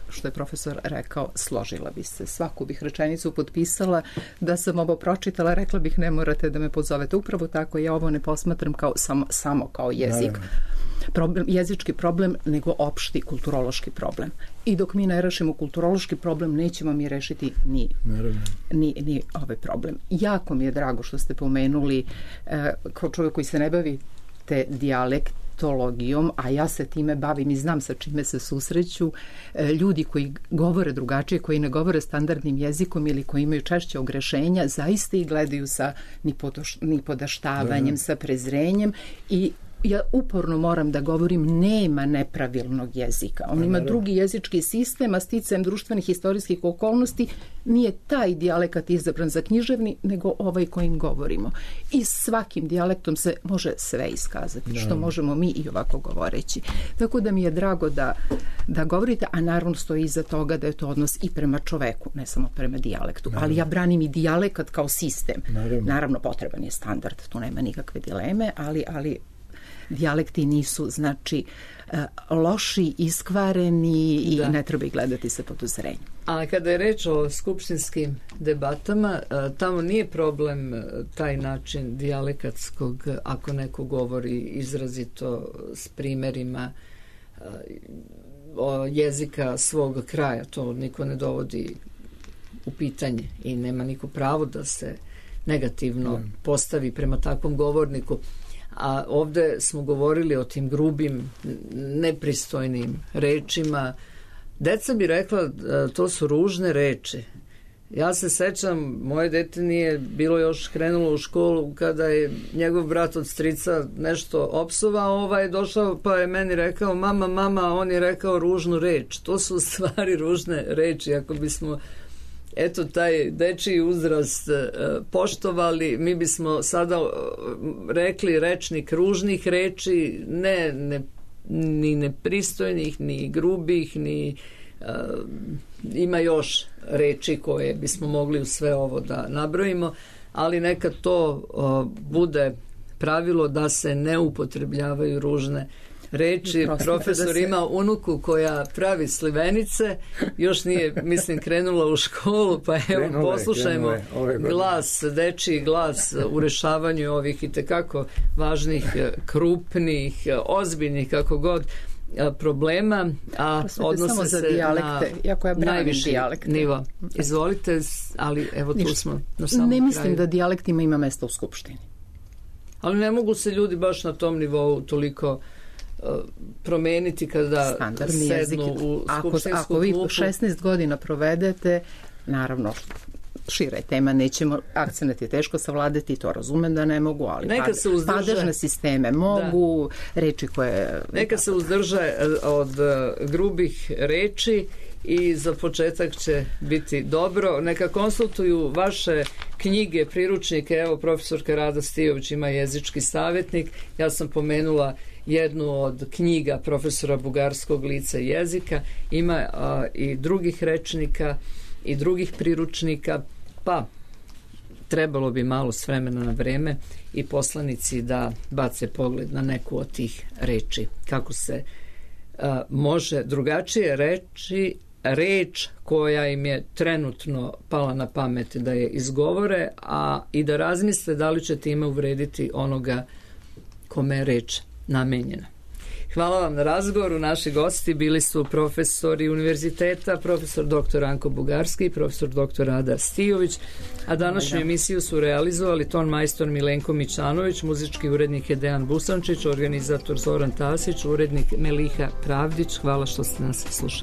što je profesor rekao, složila bi se. Svaku bih rečenicu potpisala, da sam ovo pročitala, rekla bih ne morate da me pozovete. Upravo tako, ja ovo ne posmatram kao, samo, samo kao jezik. Problem, jezički problem, nego opšti kulturološki problem. I dok mi ne rešimo kulturološki problem, nećemo mi rešiti ni, ni, ni ovaj problem. Jako mi je drago što ste pomenuli, eh, kao čovjek koji se ne bavi te dijalektologijom, a ja se time bavim i znam sa čime se susreću, eh, ljudi koji govore drugačije, koji ne govore standardnim jezikom ili koji imaju češće ogrešenja, zaista ih gledaju sa nipodaš, nipodaštavanjem, sa prezrenjem i ja uporno moram da govorim, nema nepravilnog jezika. On ima drugi jezički sistem, a sticajem društvenih historijskih okolnosti nije taj dijalekat izabran za književni, nego ovaj kojim govorimo. I svakim dijalektom se može sve iskazati, da, što možemo mi i ovako govoreći. Tako da mi je drago da, da govorite, a naravno stoji iza toga da je to odnos i prema čoveku, ne samo prema dijalektu. Naravno. Ali ja branim i dijalekat kao sistem. Naravno, naravno potreban je standard, tu nema nikakve dileme, ali, ali dijalekti nisu, znači, loši, iskvareni i da. Ne treba ih gledati sa podozorenjem. A kada je reč o skupštinskim debatama, tamo nije problem taj način dijalekatskog, ako neko govori izrazito s primerima jezika svog kraja, to niko ne dovodi u pitanje i nema niko pravo da se negativno postavi prema takvom govorniku. A ovde smo govorili o tim grubim, nepristojnim rečima. Deca bi rekla, to su ružne reči. Ja se sećam, moje dete nije bilo još krenulo u školu kada je njegov brat od strica nešto opsovao, ovaj je došao pa je meni rekao, mama, mama, on je rekao ružnu reč. To su u stvari ružne reči. Ako bismo eto taj dečiji uzrast poštovali, mi bismo sada rekli rečnik ružnih reči, ne, ne ni nepristojnih, ni grubih, ni uh, ima još reči koje bismo mogli u sve ovo da nabrojimo, ali neka to uh, bude pravilo da se ne upotrebljavaju ružne reči. Profesor se... ima unuku koja pravi slivenice, još nije, mislim, krenula u školu, pa evo, krenule, poslušajmo krenule, glas, dečiji glas u rešavanju ovih itekako važnih, krupnih, ozbiljnih, kako god, problema, a Prosvete odnose se dijalekte, na jako ja najviši dijalekte. Nivo. Izvolite, ali evo tu Ništa. Smo na samom Ne mislim kraju. Da dijalektima ima mesta u Skupštini. Ali ne mogu se ljudi baš na tom nivou toliko uh, promeniti kada standardni sednu jezik. u Ako, skupštinsku ako vi klupu. šesnaest godina provedete, naravno, šira je tema, nećemo, akcenat je teško savladati, to razumem da ne mogu, ali neka pad, se uzdrže, padežne sisteme mogu, da. Reči koje... Neka se uzdrže od uh, grubih reči i za početak će biti dobro. Neka konsultuju vaše knjige, priručnike. Evo, profesorka Rada Stijović ima jezički savjetnik. Ja sam pomenula jednu od knjiga profesora bugarskog lica jezika. Ima a, i drugih rečnika i drugih priručnika. Pa, trebalo bi malo s vremena na vreme i poslanici da bace pogled na neku od tih reči. Kako se a, može drugačije reći reč koja im je trenutno pala na pamet da je izgovore, a i da razmisle da li će time uvrediti onoga kome je reč namenjena. Hvala vam na razgovoru. Naši gosti bili su profesori univerziteta, profesor doktor Anko Bugarski i profesor doktor Ada Stijović, a današnju emisiju su realizovali ton majstor Milenko Mićanović, muzički urednik je Dejan Busančić, organizator Zoran Tasić, urednik Meliha Pravdić. Hvala što ste nas slušali.